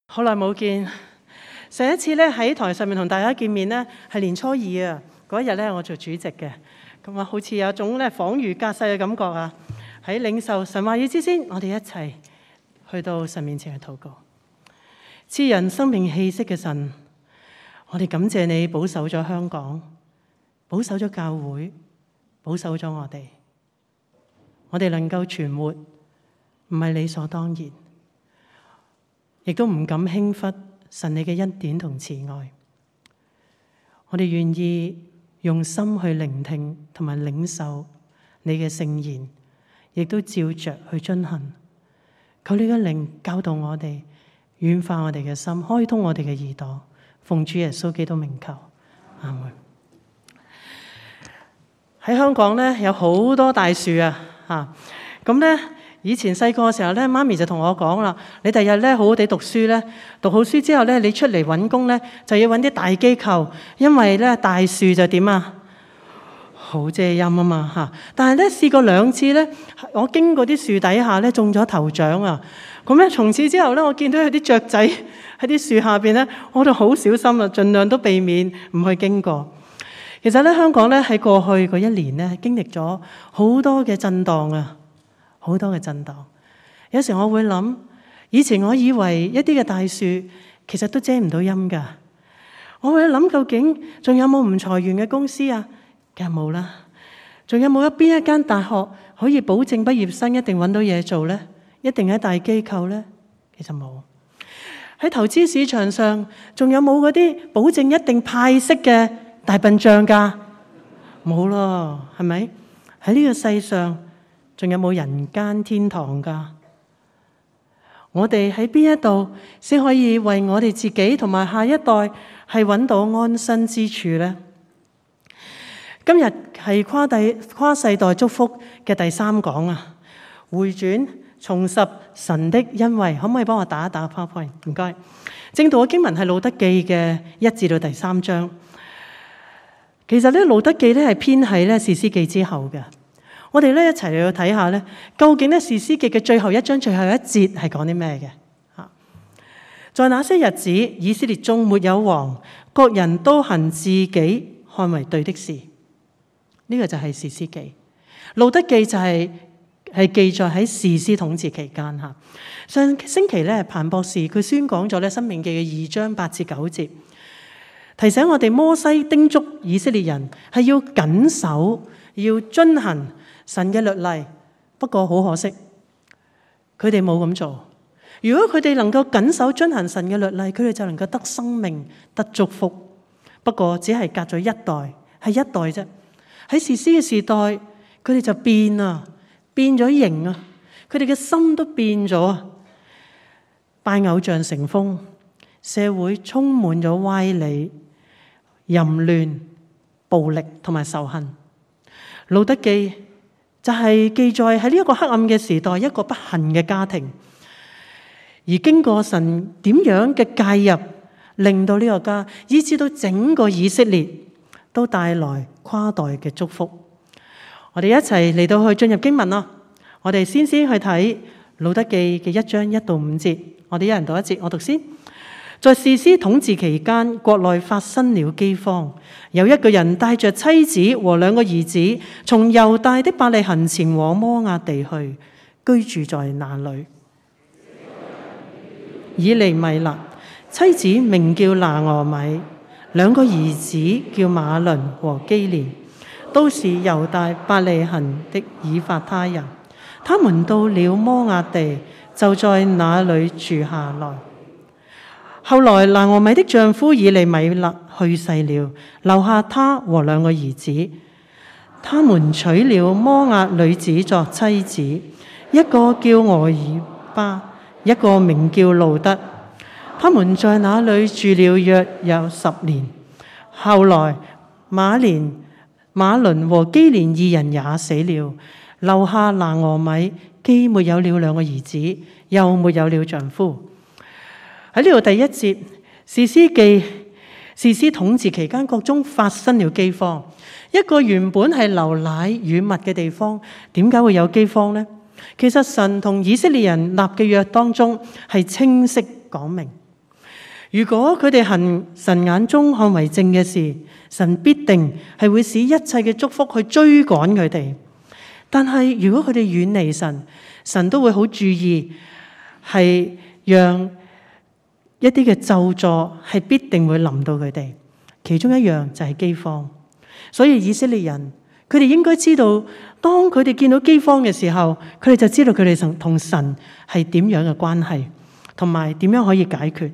好耐冇見，上一次咧喺台上面同大家見面咧係年初二啊，嗰一日咧我做主席嘅，咁啊好似有種咧恍如隔世嘅感覺啊！喺領受神話語之先，我哋一齊去到神面前去禱告。賜人生命氣息嘅神，我哋感謝你保守咗香港，保守咗教會，保守咗我哋。我哋能夠存活，唔係理所當然，亦都唔敢輕忽神你嘅恩典同慈愛。我哋願意用心去聆聽同埋領受你嘅聖言，亦都照着去遵行。求你嘅靈教導我哋，軟化我哋嘅心，開通我哋嘅耳朵。奉主耶穌基督名求，阿門。喺香港咧有好多大樹啊，咁咧以前細個嘅時候咧，媽咪就同我講啦，你第日咧好好地讀書咧，讀好書之後咧，你出嚟揾工咧就要揾啲大機構，因為咧大樹就點啊？好遮陰啊嘛嚇！但係咧試過2次咧，我經過啲樹底下咧中咗頭獎啊！咁咧從此之後咧，我見到有啲雀仔喺啲樹下邊咧，我就好小心啊，盡量都避免唔去經過。其實咧香港咧喺過去嗰1年咧經歷咗好多嘅震盪啊，好多嘅震盪。有時我會諗，以前我以為一啲嘅大樹其實都遮唔到陰㗎。我會諗究竟仲有冇唔裁員嘅公司啊？梗係冇啦。仲有冇邊一間大學可以保證畢業生一定揾到嘢做呢？一定喺大機構呢？其實冇。喺投資市場上，仲有冇嗰啲保證一定派息嘅大笨象㗎？冇咯，係咪？喺呢個世上，仲有冇人間天堂㗎？我哋喺邊一度先可以為我哋自己同埋下一代係揾到安身之處呢？今日係跨世代祝福嘅第3講啊！回轉重拾神的恩惠，可唔可以幫我打一打 PowerPoint？ 唔該。正道嘅經文係路德記嘅1至到第3章。其實咧，路德記咧係編喺咧士師記之後嘅。我哋咧一齊嚟去睇下咧，究竟咧士師記嘅最後1章最後1節係講啲咩嘅？嚇！在那些日子，以色列中沒有王，各人都行自己看為對的事。呢個就係士師記。路德記就係記載喺士師統治期間嚇。上星期咧，彭博士佢宣講咗咧《申命記》嘅2章8至9節，提醒我哋摩西叮囑以色列人係要謹守、要遵行神嘅律例。不過好可惜，佢哋冇咁做。如果佢哋能夠謹守遵行神嘅律例，佢哋就能夠得生命、得祝福。不過只係隔咗一代，係一代啫。喺士師嘅時代，佢哋就變啊，變咗形啊，佢哋嘅心都變咗啊，拜偶像成風，社會充滿咗歪理、淫亂、暴力同埋仇恨。路德記就係記載喺呢一個黑暗嘅時代，一個不幸嘅家庭，而經過神點樣嘅介入，令到呢個家，以至到整個以色列都帶來跨代嘅祝福。我哋一齊嚟到去進入經文咯。我哋先去睇路德記嘅1章1到5節。我哋一人讀1節，我讀先。在士師統治期間，國內發生了饑荒。有一個人帶着妻子和2個兒子，從猶大的伯利恆前往摩押地去，居住在那裏。以利米勒，妻子名叫拿俄米，2個兒子叫馬倫和基連，都是猶大伯利恆的以法他人。他們到了摩押地，就在那裏住下來。後來拿俄米的丈夫以利米勒去世了，留下他和2個兒子。他們娶了摩押女子作妻子，一個叫俄爾巴，一個名叫路德。他們在那裏住了約有10年。後來馬倫和基連2人也死了，留下拿俄米既沒有了2個兒子，又沒有了丈夫。喺呢度第1節，士師統治期間，國中發生了饑荒。一個原本係流奶與蜜嘅地方，點解會有饑荒呢？其實神同以色列人立嘅約當中係清晰講明，如果佢哋行神眼中看為正嘅事，神必定係會使一切嘅祝福去追趕佢哋。但係如果佢哋遠離神，神都會好注意，係讓一啲嘅咒詛係必定會臨到佢哋。其中一樣就係饑荒。所以以色列人佢哋應該知道，當佢哋見到饑荒嘅時候，佢哋就知道佢哋同神係點樣嘅關係，同埋點樣可以解決。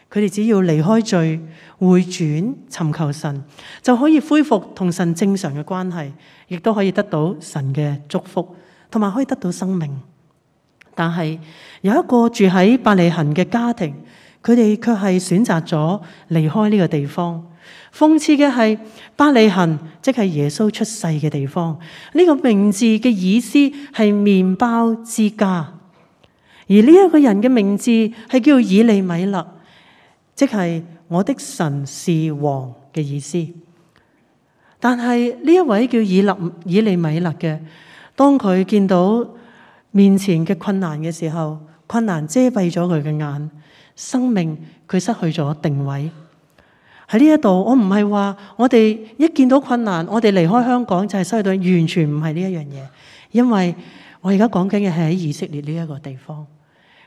佢哋只要離開罪，回轉尋求神，就可以恢復同神正常嘅關係，亦都可以得到神嘅祝福，同埋可以得到生命。但係有一個住喺伯利恆嘅家庭，佢哋卻係選擇咗離開呢個地方。諷刺嘅係，伯利恆即係耶穌出世嘅地方，呢個名字嘅意思係麵包之家。而呢一個人嘅名字係叫以利米勒，即係我的神是王嘅意思。但係呢一位叫以利米勒嘅，當佢見到面前嘅困難嘅時候，困難遮蔽咗佢嘅眼，生命佢失去咗定位。喺呢一度，我唔係話我哋一見到困難，我哋離開香港就係失去到，完全唔係呢一樣嘢。因為我而家講緊嘅係喺以色列呢一個地方，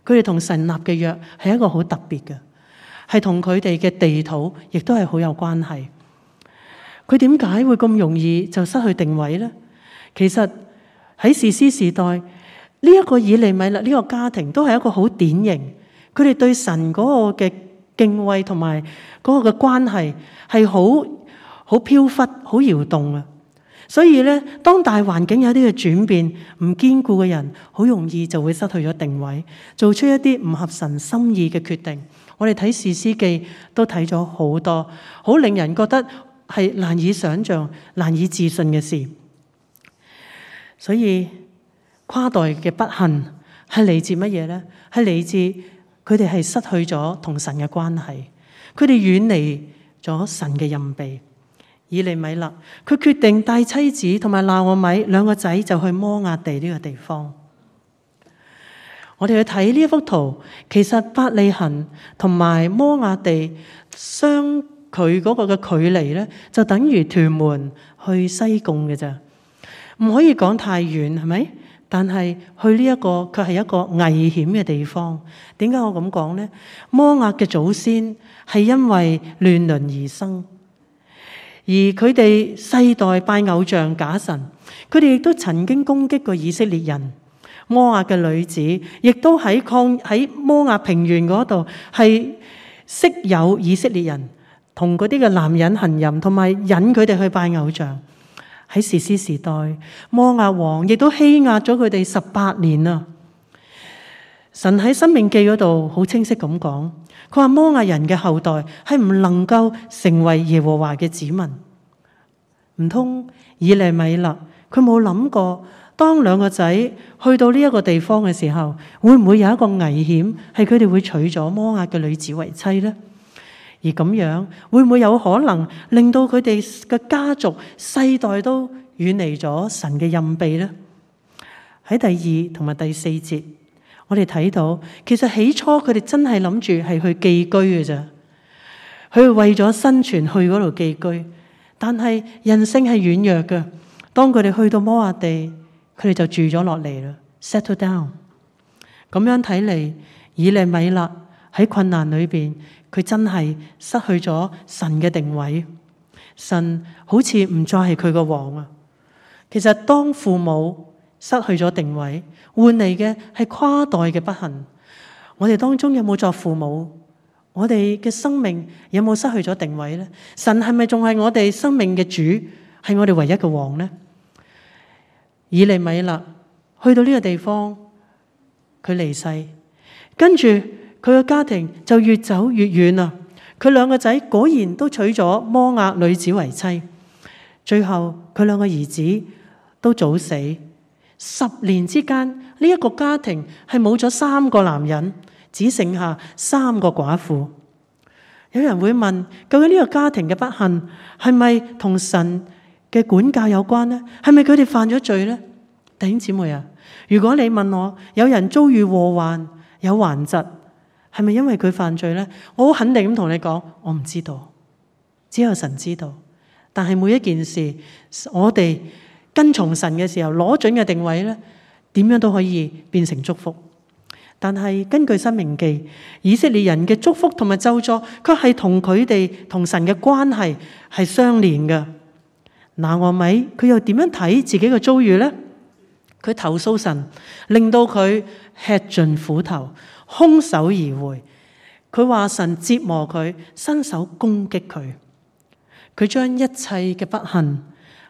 佢哋同神立嘅約係一個好特別嘅，係同佢哋嘅地土亦都係好有關係。佢點解會咁容易就失去定位呢？其實喺士師時代，呢一個以利米勒呢個家庭都係一個好典型，佢哋對神嗰個嘅敬畏同埋嗰個嘅關係係好飄忽、好搖動啊！所以咧，當大環境有啲嘅轉變，唔堅固嘅人，好容易就會失去咗定位，做出一啲唔合神心意嘅決定。我哋睇士師記都睇咗好多，好令人覺得係難以想象、難以置信嘅事。所以跨代嘅不幸係嚟自乜嘢呢？係嚟自佢哋係失去咗同神嘅關係，佢哋遠離咗神嘅蔭庇。以利米勒佢決定帶妻子同埋拿俄米兩個仔就去摩押地呢個地方。我哋去睇呢一幅圖，其實伯利恆同埋摩押地相距嗰個嘅距離咧，就等於屯門去西貢嘅咋，唔可以講太遠，係咪？但係去呢一個卻係一個危險嘅地方。點解我咁講呢？摩押嘅祖先係因為亂倫而生，而佢哋世代拜偶像假神，佢哋亦都曾經攻擊過以色列人。摩押嘅女子亦都喺摩押平原嗰度係識有以色列人同嗰啲嘅男人行淫，同埋引佢哋去拜偶像。喺士師時代，摩押王亦都欺壓咗佢哋18年啊！神喺申命記嗰度好清晰咁講，佢話摩押人嘅後代係唔能夠成為耶和華嘅子民。唔通以利米勒佢冇諗過，當兩個仔去到呢一個地方嘅時候，會唔會有一個危險係佢哋會娶咗摩押嘅女子為妻呢？而咁樣會唔會有可能令到佢哋嘅家族世代都遠離咗神嘅蔭庇呢？喺第2同埋第4節，我哋睇到其實起初佢哋真係諗住係去寄居嘅咋，佢為咗生存去嗰度寄居。但係人性係軟弱嘅，當佢哋去到摩押地，佢哋就住咗落嚟啦 ，settle down。咁樣睇嚟，以利米勒喺困難裏邊，佢真係失去咗神嘅定位，神好似唔再係佢個王啊！其實當父母失去咗定位，換嚟嘅係跨代嘅不幸。我哋當中有冇作父母？我哋嘅生命有冇失去咗定位呢？神係咪仲係我哋生命嘅主，係我哋唯一嘅王呢？以利米勒去到呢個地方，佢離世，跟住佢嘅家庭就越走越遠啦。佢兩個仔果然都娶咗摩押女子為妻，最後佢兩個兒子都早死。10年之間，呢一個家庭係冇咗3個男人，只剩下3個寡婦。有人會問，究竟呢個家庭嘅不幸係咪同神嘅管教有關呢？係咪佢哋犯咗罪呢？弟兄姊妹啊，如果你問我，有人遭遇禍患、有頑疾，係咪因為佢犯罪呢？我好肯定咁同你講，我唔知道，只有神知道。但係每一件事，我哋跟從神嘅時候，攞準嘅定位呢，點樣都可以變成祝福。但係根據申命記，以色列人嘅祝福同埋咒詛，卻係同佢哋同神嘅關係係相連嘅。拿俄米佢又點樣睇自己嘅遭遇呢？佢投訴神，令到佢吃盡苦頭，空手而回。佢話神折磨佢，伸手攻擊佢。佢將一切嘅不幸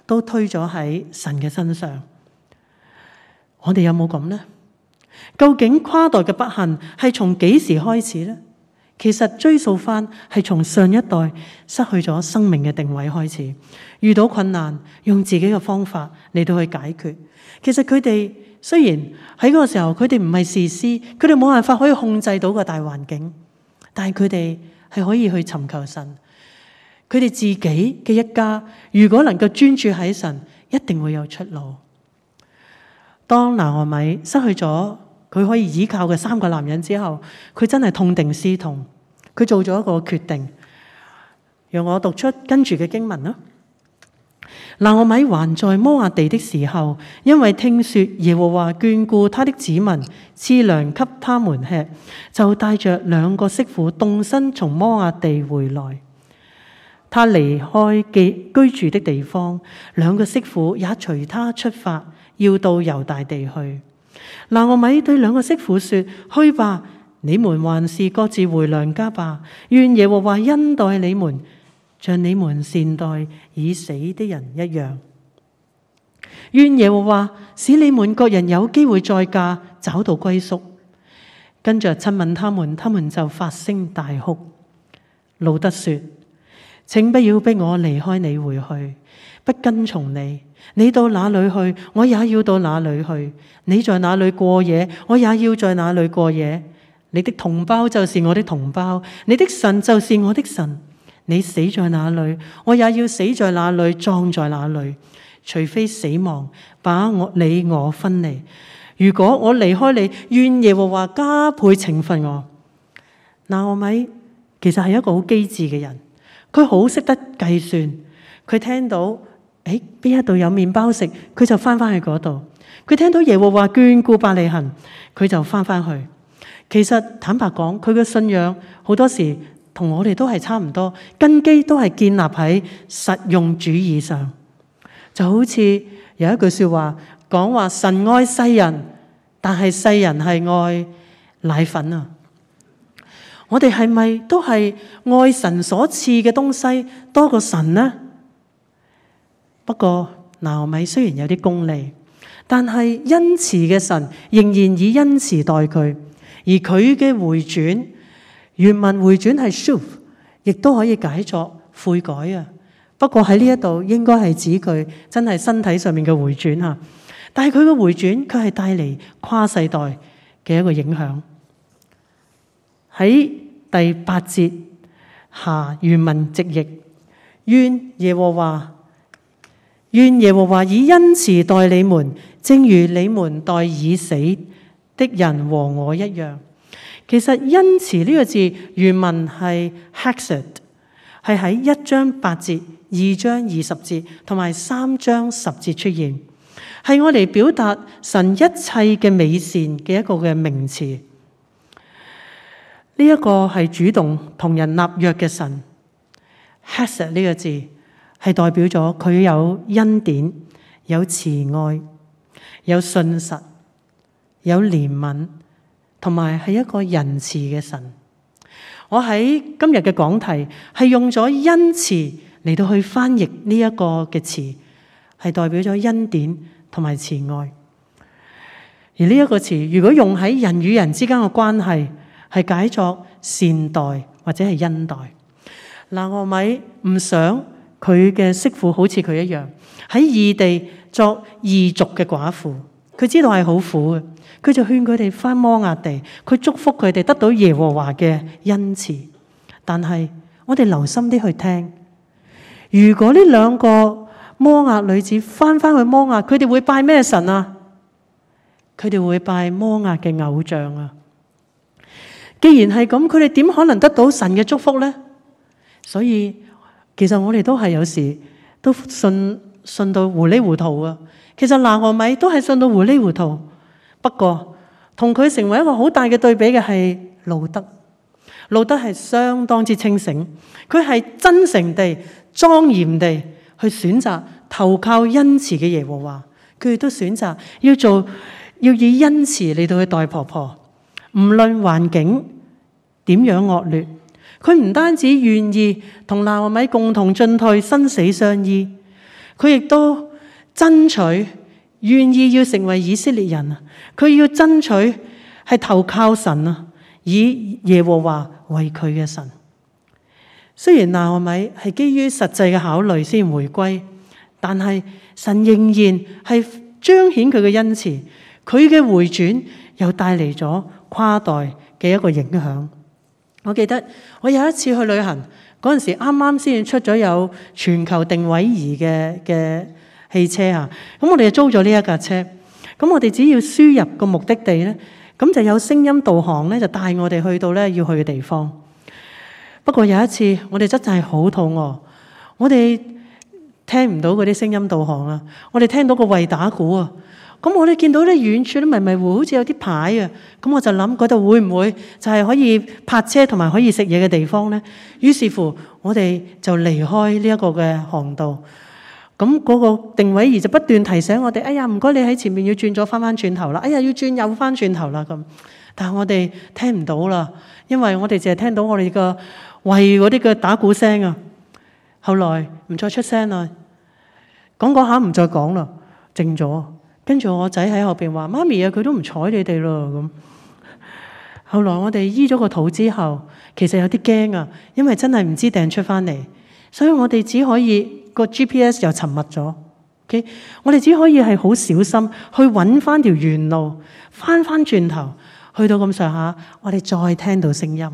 都推咗喺神嘅身上。我哋有冇咁呢？究竟跨代嘅不幸係從幾時開始呢？其實追溯翻係從上一代失去咗生命嘅定位開始，遇到困難用自己嘅方法嚟到去解決。其實佢哋雖然喺嗰個時候佢哋唔係士師，佢哋冇辦法可以控制到個大環境，但係佢哋係可以去尋求神。佢哋自己嘅一家如果能夠專注喺神，一定會有出路。當拿俄米失去咗佢可以依靠嘅3個男人之後，佢真係痛定思痛，佢做咗一個決定。讓我讀出跟住嘅經文啦。拿俄米還在摩押地的時候，因為聽說耶和華眷顧他的子民，賜糧給他們吃，就帶着2個媳婦動身從摩押地回來。他離開居住的地方，2個媳婦也隨他出發，要到猶大地去。拿俄米對2個媳婦說：去吧，你們還是各自回娘家吧。願耶和華恩待你們，像你們善待已死的人一樣。願耶和華使你們各人有機會再嫁，找到歸宿。跟着親吻他們，他們就發聲大哭。路得說：請不要逼我離開你回去，不跟從你。你到哪裏去，我也要到哪裏去；你在哪裏過夜，我也要在哪裏過夜。你的同胞就是我的同胞，你的神就是我的神。你死在哪裏，我也要死在哪裏，葬在哪裏。除非死亡把你我分離。如果我離開你，願耶和華加倍懲罰我。拿俄米其實係一個好機智嘅人，佢好識得計算。佢聽到邊一度有麵包食，佢就翻去嗰度。佢聽到耶和華眷顧伯利恆，佢就翻去。其實坦白講，佢嘅信仰好多時同我哋都係差唔多，根基都係建立喺實用主義上。就好似有一句說話講話，神愛世人，但係世人係愛奶粉啊。我哋係咪都係愛神所賜嘅東西多過神呢？不過拿俄米雖然有啲功利，但係恩慈嘅神仍然以恩慈待佢，而佢嘅回轉，原文回轉係 shuv， 亦都可以解作悔改啊。不過喺呢一度應該係指佢真係身體上面嘅回轉啊，但係佢嘅回轉卻係帶嚟跨世代嘅一個影響。喺第8節下原文直譯：願耶和華以恩慈待你們，正如你們待已死的人和我一樣。其實恩慈呢個字原文係 hesed， 係喺1章8節、2章20節同埋3章10節出現，係我嚟表達神一切嘅美善嘅一個嘅名詞。呢一個係主動同人立約嘅神。hesed 呢個字係代表咗佢有恩典、有慈愛、有信實、有憐憫，同埋係一個仁慈嘅神。我喺今日嘅講題係用咗恩慈嚟到去翻譯呢一個嘅詞，係代表咗恩典同埋慈愛。而呢一個詞如果用喺人與人之間嘅關係，係解作善待或者係恩待。拿俄米唔想佢嘅媳婦好似佢一樣喺異地作異族嘅寡婦，佢知道係好苦嘅，佢就勸佢哋返摩押地，佢祝福佢哋得到耶和華嘅恩慈。但係我哋留心啲去聽，如果呢2個摩押女子返去摩押，佢哋會拜咩神啊？佢哋會拜摩押嘅偶像啊！既然係咁，佢哋點可能得到神嘅祝福呢？所以其實我哋都係有時都信到糊裡糊塗啊。其實拿俄米都係信到糊裡糊塗，不過同佢成為一個好大嘅對比嘅係路得。路得係相當之清醒，佢係真誠地、莊嚴地去選擇投靠恩慈嘅耶和華。佢亦都選擇要以恩慈嚟到去待婆婆，唔論環境點樣惡劣，佢唔單止願意同拿俄米共同進退，生死相依，佢亦都爭取願意要成為以色列人啊！佢要爭取係投靠神啊，以耶和華為佢嘅神。雖然拿俄米係基於實際嘅考慮先回歸，但係神仍然係彰顯佢嘅恩慈，佢嘅回轉又帶嚟咗跨代嘅一個影響。我記得我有一次去旅行嗰陣時，啱啱先出咗有全球定位儀嘅汽車啊，咁我哋就租咗呢一架車，咁我哋只要輸入個目的地咧，咁就有聲音導航咧，就帶我哋去到咧要去嘅地方。不過有一次我哋真係好肚餓，我哋聽唔到嗰啲聲音導航啊，我哋聽到個胃打鼓啊，咁我哋見到咧遠處都迷迷糊，好似有啲牌啊，咁我就諗嗰度會唔會就係可以泊車同埋可以食嘢嘅地方咧？於是乎我哋就離開呢一個嘅航道。咁嗰個定位儀就不斷提醒我哋，哎呀，唔該你喺前面要轉咗翻轉頭啦，哎呀要轉右翻轉頭啦咁。但係我哋聽唔到啦，因為我哋淨係聽到我哋個胃嗰啲嘅打鼓聲啊。後來唔再出聲啦，講下唔再講啦，靜咗。跟住我仔喺後邊話：媽咪啊，佢都唔睬你哋咯咁。後來我哋醫咗個肚之後，其實有啲驚啊，因為真係唔知掟出翻嚟，所以我哋只可以個 GPS 又沉默咗。Okay? 我哋只可以係好小心去揾翻條原路，翻轉頭去到咁上下，我哋再聽到聲音，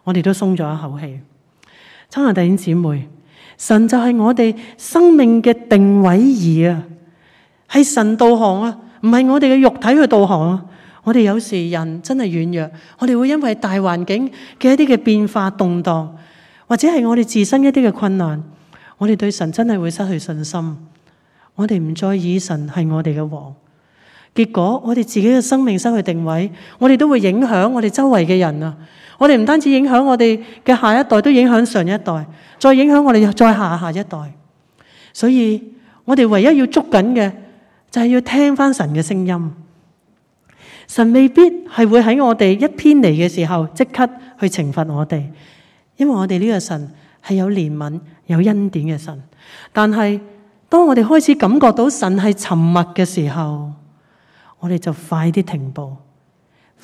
我哋都鬆咗一口氣。親愛弟兄姊妹，神就係我哋生命嘅定位儀啊，係神導航啊，唔係我哋嘅肉體去導航啊。我哋有時人真係軟弱，我哋會因為大環境嘅一啲嘅變化動盪，或者係我哋自身一啲嘅困難，我哋對神真係會失去信心。我哋唔再以神係我哋嘅王，結果我哋自己嘅生命失去定位，我哋都會影響我哋周圍嘅人啊。我哋唔單止影響我哋嘅下一代，都影響上一代，再影響我哋再下一代。所以我哋唯一要捉緊嘅就係要聽翻神嘅聲音。神未必係會喺我哋一偏離嘅時候即刻去懲罰我哋，因為我哋呢個神係有憐憫有恩典嘅神。但係當我哋開始感覺到神係沉默嘅時候，我哋就快啲停步，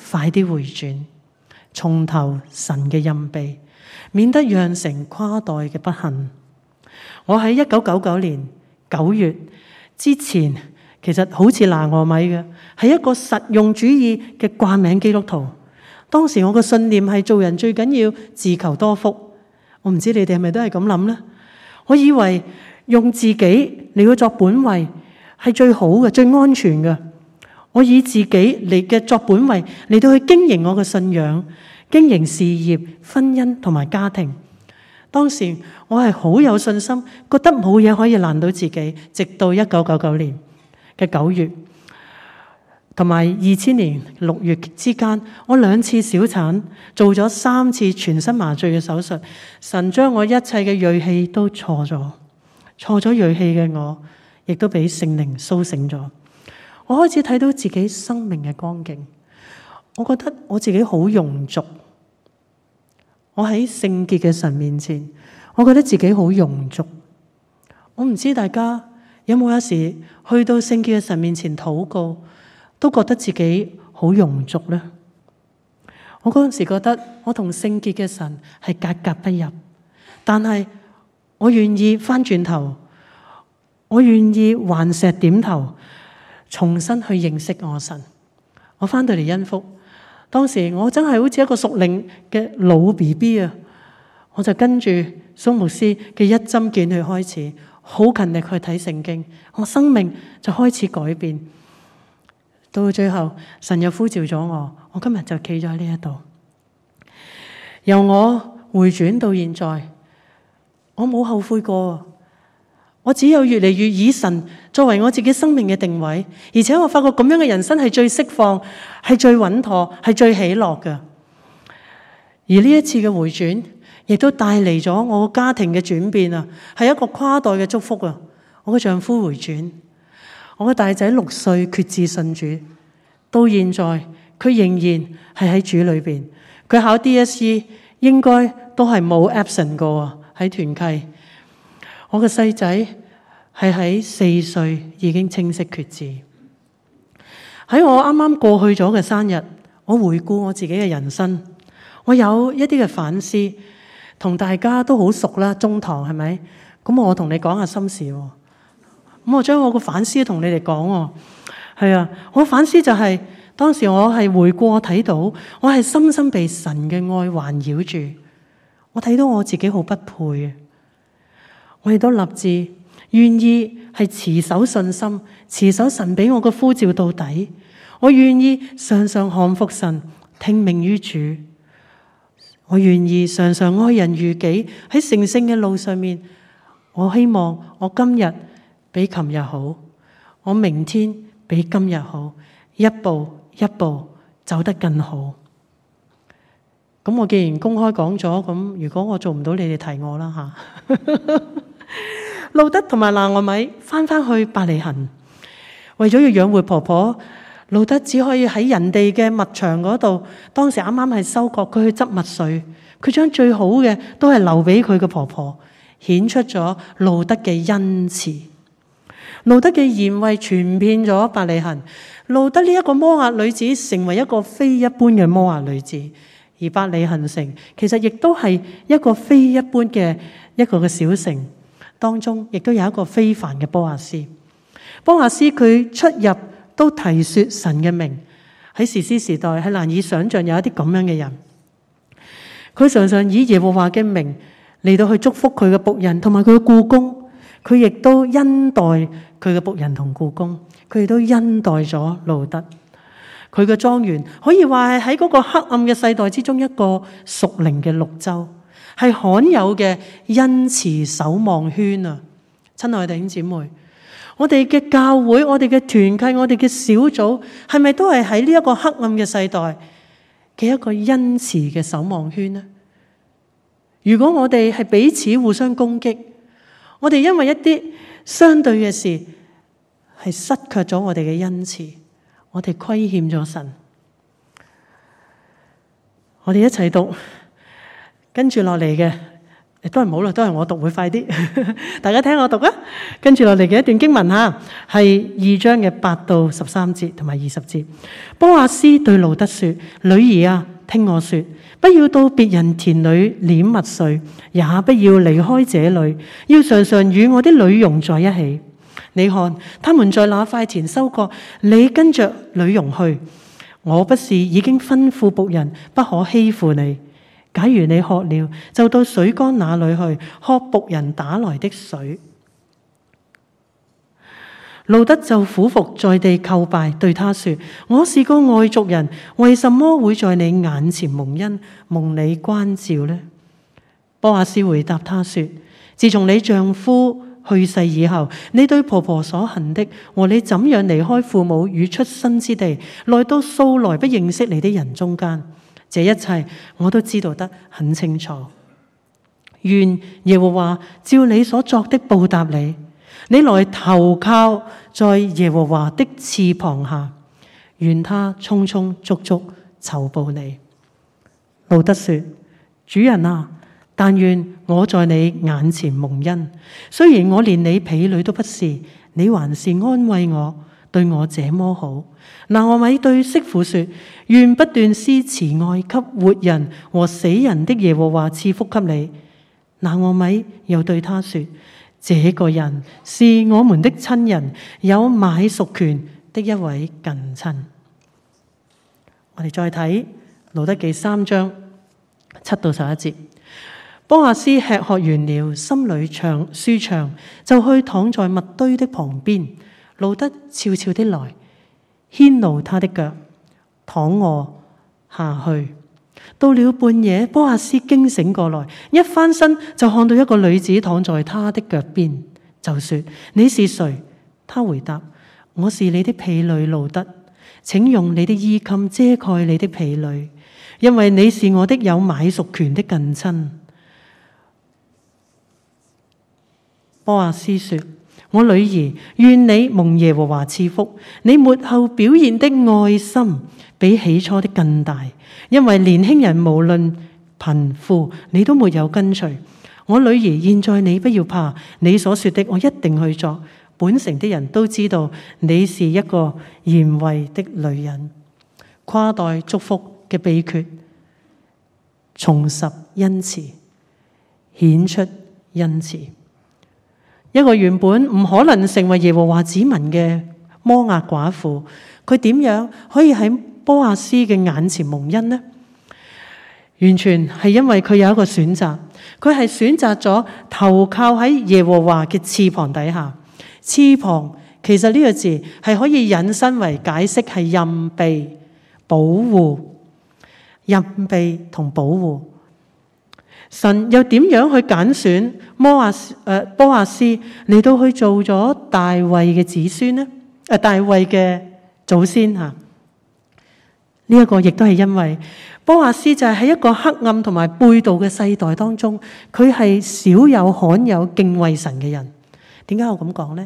快啲回轉，重投神嘅蔭庇，免得釀成跨代嘅不幸。我喺1999年9月之前，其實好似拿俄米嘅，係一個實用主義嘅掛名基督徒。當時我嘅信念係做人最緊要自求多福。我唔知你哋係咪都係咁諗呢？我以為用自己嚟去作本位係最好嘅、最安全嘅。我以自己嚟嘅作本位嚟到去經營我嘅信仰、經營事業、婚姻同埋家庭。當時我係好有信心，覺得冇嘢可以難到自己。直到1999年嘅9月，同埋2000年6月之間，我2次小產，做咗3次全身麻醉嘅手術。神將我一切嘅銳氣都錯咗銳氣嘅我，亦都俾聖靈甦醒咗。我開始睇到自己生命嘅光景，我覺得我自己好庸俗。我喺聖潔嘅神面前，我覺得自己好庸俗。我唔知大家有冇有時去到聖潔嘅神面前禱告，都覺得自己好庸俗呢？我嗰陣時覺得我同聖潔嘅神係格格不入，但係我願意翻轉頭，我願意頑石點頭，重新去認識我神。我翻到嚟恩福，當時我真係好似一個屬靈嘅老 BB 啊！我就跟住蘇牧師嘅一針見血開始，好勤力去睇聖經，我生命就開始改變。到最後，神又呼召咗我，我今日就企咗喺呢一度。由我回轉到現在，我冇後悔過，我只有越嚟越以神作為我自己生命嘅定位，而且我發覺咁樣嘅人生係最釋放，係最穩妥，係最喜樂嘅。而呢一次嘅回轉，亦都帶嚟咗我家庭嘅轉變啊，係一個跨代嘅祝福啊！我嘅丈夫回轉，我嘅大仔6歲決志信主，到現在佢仍然係喺主裏邊。佢考 DSE 應該都係冇 absent 過喺團契。我嘅細仔係喺4歲已經清晰決志。喺我啱啱過去咗嘅生日，我回顧我自己嘅人生，我有一啲嘅反思，同大家都好熟啦，中堂係咪？咁我同你講下心事喎。咁我將我個反思同你哋講喎。係啊，我反思就係當時我係回顧，我睇到我係深深被神嘅愛環繞住，我睇到我自己好不配啊！我亦都立志願意係持守信心，持守神俾我嘅呼召到底。我願意常常降服神，聽命於主。我願意常常愛人如己，喺成聖嘅路上面。我希望我今日比琴日好，我明天比今日好，一步一步走得更好。咁我既然公開講咗，咁如果我做唔到，你哋提我啦吓。路德同埋拿俄米翻去伯利恆，為咗要養活婆婆，路德只可以喺人哋嘅麥場嗰度，當時啱啱係收割，佢去執麥穗，佢將最好嘅都係留俾佢嘅婆婆，顯出咗路德嘅恩慈。路德嘅賢惠傳遍咗伯利恆，路德呢一個摩押女子成為一個非一般嘅摩押女子，而伯利恆城其實亦都係一個非一般嘅一個嘅小城，當中亦都有一個非凡嘅波亞斯。波亞斯佢出入都提說神嘅名，喺士師時代係難以想象有一啲咁樣嘅人。佢常常以耶和華嘅名嚟到去祝福佢嘅僕人同埋佢嘅僱工，佢亦都恩待佢嘅僕人同僱工，佢亦都恩待咗路德。佢嘅莊園可以話係喺嗰個黑暗嘅世代之中一個屬靈嘅綠洲，係罕有嘅恩慈守望圈啊！親愛嘅弟兄姊妹，我哋嘅教會、我哋嘅團契、我哋嘅小組，係咪都係喺呢一個黑暗嘅世代嘅一個恩慈嘅守望圈呢？如果我哋係彼此互相攻擊，我哋因為一啲相對嘅事係失卻咗我哋嘅恩慈，我哋虧欠咗神。我哋一齊讀跟住落嚟嘅，都係唔好啦，都係我讀會快啲。大家聽我讀啊！跟住落嚟嘅一段經文吓，係2章嘅8到13節同埋20節。波亞斯對路德說：女兒啊，聽我說，不要到別人田裏拈麥穗，也不要離開這裏，要常常與我的女傭在一起。你看，他們在那塊田收割，你跟着女傭去。我不是已經吩咐僕人不可欺負你？假如你渴了，就到水缸那裏去，喝僕人打來的水。路德就俯伏在地叩拜，對他說：我是個外族人，為什麼會在你眼前蒙恩，蒙你關照呢？波亞斯回答他說：自從你丈夫去世以後，你對婆婆所行的，和你怎樣離開父母與出生之地，來到素來不認識你的人中間，這一切我都知道得很清楚。願耶和華照你所作的報答你。你來投靠在耶和華的翅膀下，願他充充足足酬報你。路德說：主人啊，但願我在你眼前蒙恩，雖然我連你婢女都不是，你還是安慰我，對我這麼好。拿俄米對媳婦說：願不斷施慈愛給活人和死人的耶和華賜福給你。拿俄米又對他說：這個人是我們的親人，有買贖權的一位近親。我哋再睇路德記3章7到11節。波亞斯吃喝完了，心裏舒暢，就去躺在麥堆的旁邊。路德悄悄地來，牽露他的腳，躺臥下去。到了半夜，波阿斯驚醒過來，一翻身就看到一個女子躺在他的腳邊，就說：你是誰？他回答：我是你的婢女路得，請用你的衣襟遮蓋你的婢女，因為你是我的有買贖權的近親。波阿斯說：我女兒，願你蒙耶和華賜福，你末後表現的愛心比起初的更大，因為年輕人無論貧富，你都沒有跟隨。我女兒，現在你不要怕，你所說的我一定去做。本城的人都知道你是一個賢惠的女人。跨代祝福嘅秘訣，重拾恩慈，顯出恩慈。一個原本唔可能成為耶和華子民嘅摩押寡婦，佢點樣可以喺波阿斯嘅眼前蒙恩呢？完全係因為佢有一個選擇，佢係選擇咗投靠喺耶和華嘅翅膀底下。翅膀其實呢個字係可以引申為解釋係蔭庇、保護、蔭庇同保護。神又點樣去揀選波阿斯嚟到去做咗大衛嘅子孫呢？大衛嘅祖先吓。呢一個亦都係因為波阿斯就係喺一個黑暗同埋背道嘅世代當中，佢係少有罕有敬畏神嘅人。點解我咁講呢？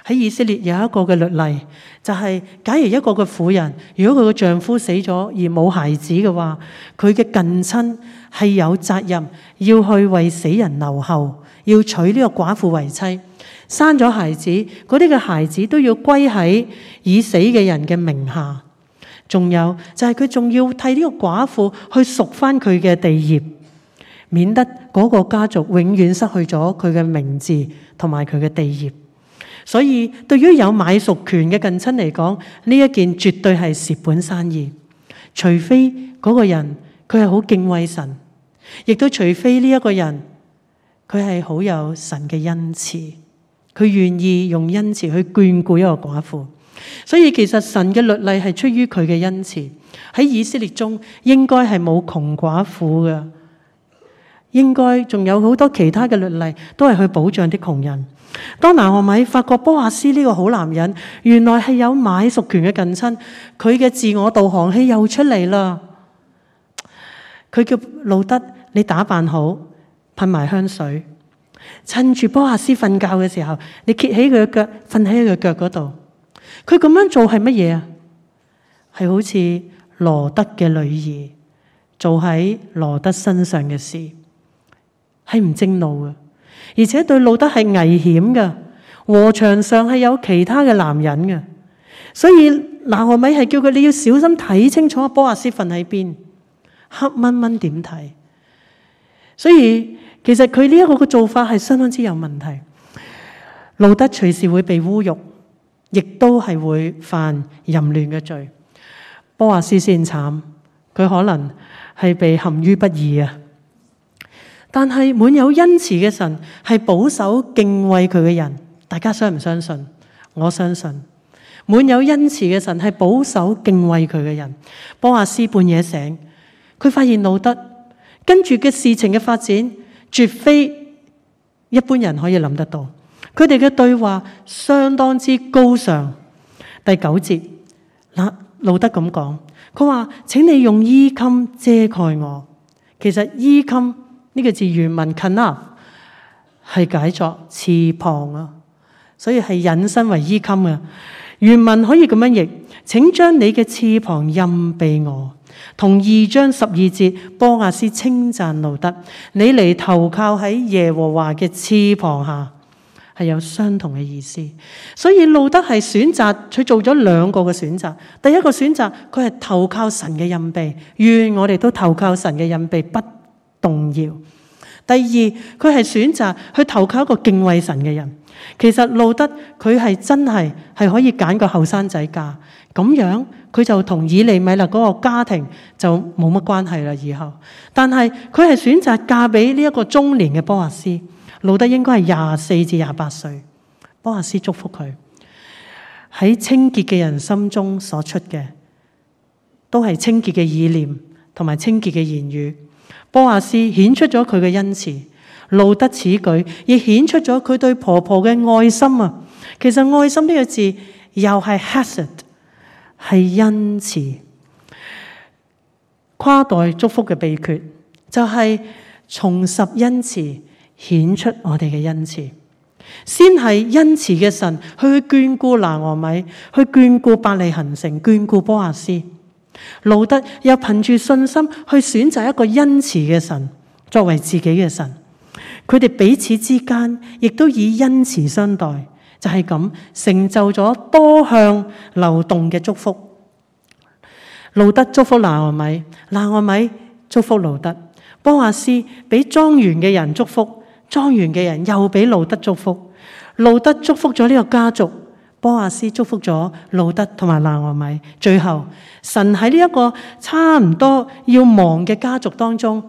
喺以色列有一個嘅律例，就係假如一個嘅婦人，如果佢嘅丈夫死咗而冇孩子嘅話，佢嘅近親係有責任要去為死人留後，要娶呢個寡婦為妻。生咗孩子，嗰啲嘅孩子都要歸喺已死嘅人嘅名下。仲有就係佢仲要替呢個寡婦去贖翻佢嘅地業，免得嗰個家族永遠失去咗佢嘅名字同埋佢嘅地業。所以對於有買贖權嘅近親嚟講，呢一件絕對係蝕本生意。除非嗰個人佢係好敬畏神，亦都除非呢一個人佢係好有神嘅恩慈，佢願意用恩慈去眷顧一個寡婦。所以其實神嘅律例係出於佢嘅恩慈。喺以色列中應該係冇窮寡婦嘅，應該仲有好多其他嘅律例都係去保障啲窮人。當拿俄米發覺波阿斯呢個好男人原來係有買贖權嘅近親，佢嘅自我導航器又出嚟啦。佢叫路得，你打扮好，噴埋香水，趁住波阿斯瞓覺嘅時候，你揭起佢嘅腳，瞓喺佢腳嗰度。佢咁樣做係乜嘢啊？係好似羅得嘅女兒做喺羅得身上嘅事，係唔正路嘅。而且對路得係危險嘅，禾場上係有其他嘅男人嘅，所以拿俄米係叫佢你要小心睇清楚波阿斯瞓喺邊，黑蚊蚊點睇？所以其實佢呢一個嘅做法係相當之有問題。路得隨時會被侮辱，亦都係會犯淫亂嘅罪。波阿斯先慘，佢可能係被陷於不義啊！但係滿有恩慈嘅神係保守敬畏佢嘅人，大家相唔相信？我相信。滿有恩慈嘅神係保守敬畏佢嘅人。波阿斯半夜醒，佢發現路得，跟住嘅事情嘅發展絕非一般人可以諗得到。佢哋嘅對話相當之高尚。第9節，路得咁講，佢話：請你用衣襟遮蓋我。其實衣襟呢個字原文 kanaf 係解作翅膀啊，所以係引申為衣襟啊。原文可以咁樣譯：請將你嘅翅膀蔭庇我。同2章12節波阿斯稱讚路得，你嚟投靠喺耶和華嘅翅膀下，係有相同嘅意思。所以路得係選擇，佢做咗2個嘅選擇。第一個選擇，佢係投靠神嘅蔭庇，願我哋都投靠神嘅蔭庇，不動搖。第二，佢係選擇去投靠一個敬畏神嘅人。其實路得佢係真係可以揀個後生仔嫁，咁樣佢就同以利米勒嗰個家庭就冇乜關係啦以後。但係佢係選擇嫁俾呢一個中年嘅波阿斯。路得應該係24至28歲。波阿斯祝福佢，喺清潔嘅人心中所出嘅都係清潔嘅意念同埋清潔嘅言語。波亞斯顯出咗佢嘅恩慈，路得此舉亦顯出咗佢對婆婆嘅愛心啊！其實愛心呢個字又係 hesed， 係恩慈。跨代祝福嘅秘訣就係重拾恩慈，顯出我哋嘅恩慈。先係恩慈嘅神去眷顧拿俄米，去眷顧伯利恆城，眷顧波亞斯。路得又憑住信心去選擇一個恩慈嘅神作為自己嘅神。佢哋彼此之間亦都以恩慈相待，就係咁成就咗多向流動嘅祝福。路得祝福拿俄米，拿俄米祝福路得。波亞斯俾莊園嘅人祝福，莊園嘅人又俾路得祝福。路得祝福咗呢個家族，波亞斯祝福咗路得同埋拿俄米。最後神喺呢一個差唔多要亡嘅家族當中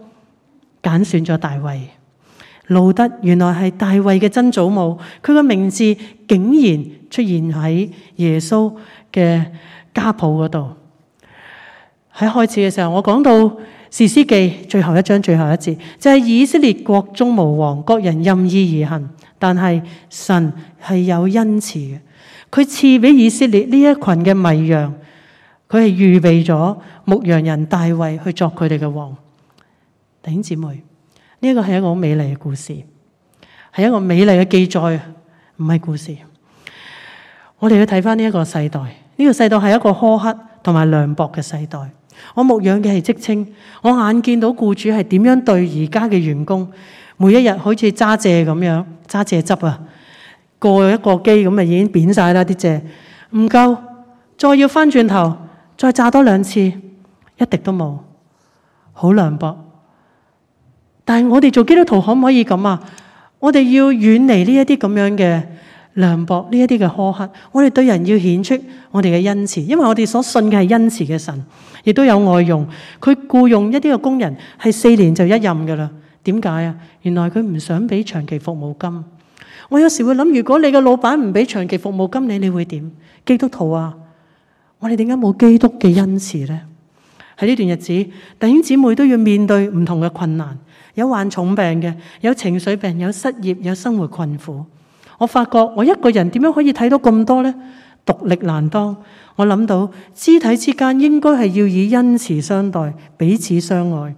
揀選咗大衛。路得原來係大衛嘅曾祖母，佢個名字竟然出現喺耶穌嘅家譜嗰度。喺開始嘅時候，我講到士師記最後一章最後一節，就係以色列國中無王，各人任意而行。但係神係有恩慈嘅，佢賜俾以色列呢一群嘅迷羊，佢係預備咗牧羊人大衛去作佢哋嘅王。弟兄姊妹，呢一個係一個好美麗嘅故事，係一個美麗嘅記載，唔係故事。我哋要睇翻呢一個世代，呢個世代係一個苛刻同埋涼薄嘅世代。我牧養嘅係職青，我眼見到僱主係點樣對而家嘅員工，每一日好似揸蔗咁樣，揸蔗汁啊，過一個機咁啊已經扁晒啦啲蔗，唔夠，再要翻轉頭再榨多2次，一滴都冇，好涼薄。但係我哋做基督徒可唔可以咁啊？我哋要遠離呢一啲咁樣嘅涼薄，呢一啲嘅苛刻。我哋對人要顯出我哋嘅恩慈，因為我哋所信嘅係恩慈嘅神，亦都有外傭。佢僱用一啲嘅工人係4年就一任噶啦。點解啊？原來佢唔想俾長期服務金。我有時會諗，如果你嘅老闆唔俾長期服務金你會點？基督徒啊，我哋點解冇基督嘅恩慈呢？喺呢段日子，弟兄姊妹都要面對唔同嘅困難，有患重病嘅，有情緒病，有失業，有生活困苦。我發覺我一個人點樣可以睇到咁多呢？獨力難當。我諗到肢體之間應該係要以恩慈相待，彼此相愛。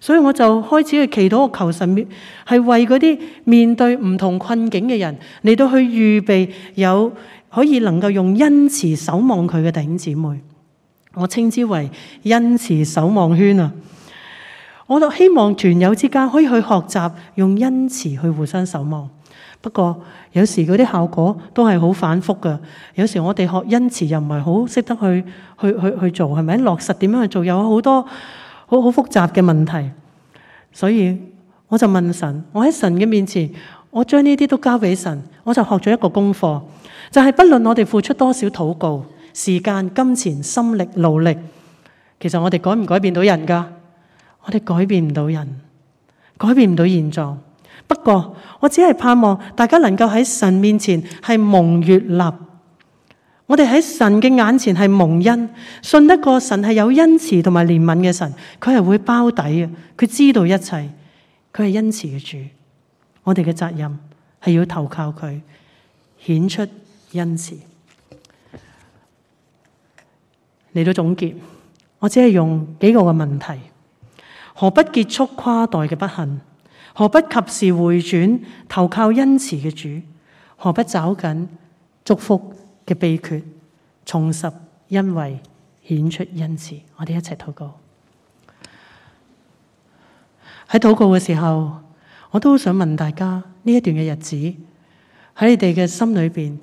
所以我就開始去祈禱，我求神係為嗰啲面對唔同困境嘅人嚟到去預備有可以能夠用恩慈守望佢嘅弟兄姊妹。我稱之為恩慈守望圈啊！我就希望團友之間可以去學習用恩慈去互相守望。不過有時嗰啲效果都係好反覆㗎。有時我哋學恩慈又唔係好識得去做，係咪？落實點樣去做，有好多好複雜嘅問題。所以我就問神，我喺神嘅面前，我將呢啲都交俾神，我就學咗一個功課，就係不論我哋付出多少禱告、時間、金錢、心力、勞力，其實我哋改唔改變到人㗎？我哋改變唔到人，改變唔到現狀。不過我只係盼望大家能夠喺神面前係蒙悅納，我哋喺神嘅眼前係蒙恩，信得過神係有恩慈同埋憐憫嘅神，佢係會包底嘅，佢知道一切，佢係恩慈嘅主。我哋嘅責任係要投靠佢，顯出恩慈。嚟到總結，我只係用幾個嘅問題：何不結束跨代嘅不幸？何不及時回轉投靠恩慈嘅主？何不找緊祝福嘅秘訣，重拾恩惠，顯出恩慈？我哋一齊禱告。喺禱告嘅時候，我都想問大家，呢一段嘅日子喺你哋嘅心裏邊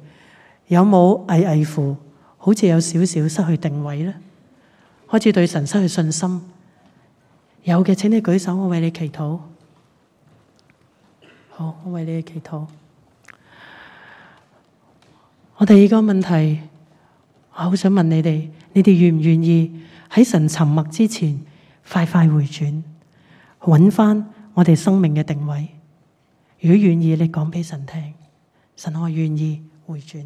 有冇危乎，好似有少少失去定位呢？開始對神失去信心？有嘅請你舉手，我為你祈禱。好，我為你祈禱。我第二個問題，我好想問你哋願唔願意喺神沉默之前，快快回轉，揾翻我哋生命嘅定位？如果願意，你講俾神聽，神我願意回轉。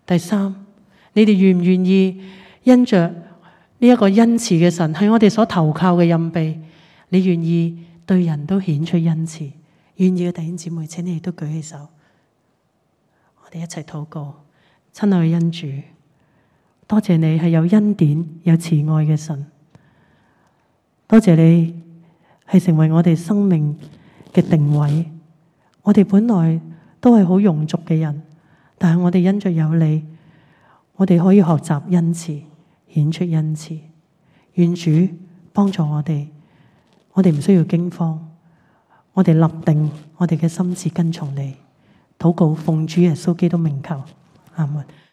第三，你哋願唔願意因着呢一個恩慈嘅神，係我哋所投靠嘅蔭庇。你願意對人都顯出恩慈，願意嘅弟兄姊妹，請你亦都舉起手，我哋一齊禱告。親愛嘅恩主，多謝你係有恩典、有慈愛嘅神，多謝你係成為我哋生命嘅定位。我哋本來都係好庸俗嘅人，但係我哋因着有你，我哋可以學習恩慈，顯出恩慈。願主幫助我哋，我哋唔需要驚慌，我哋立定我哋嘅心志跟從你。禱告奉主耶穌基督名求，阿門。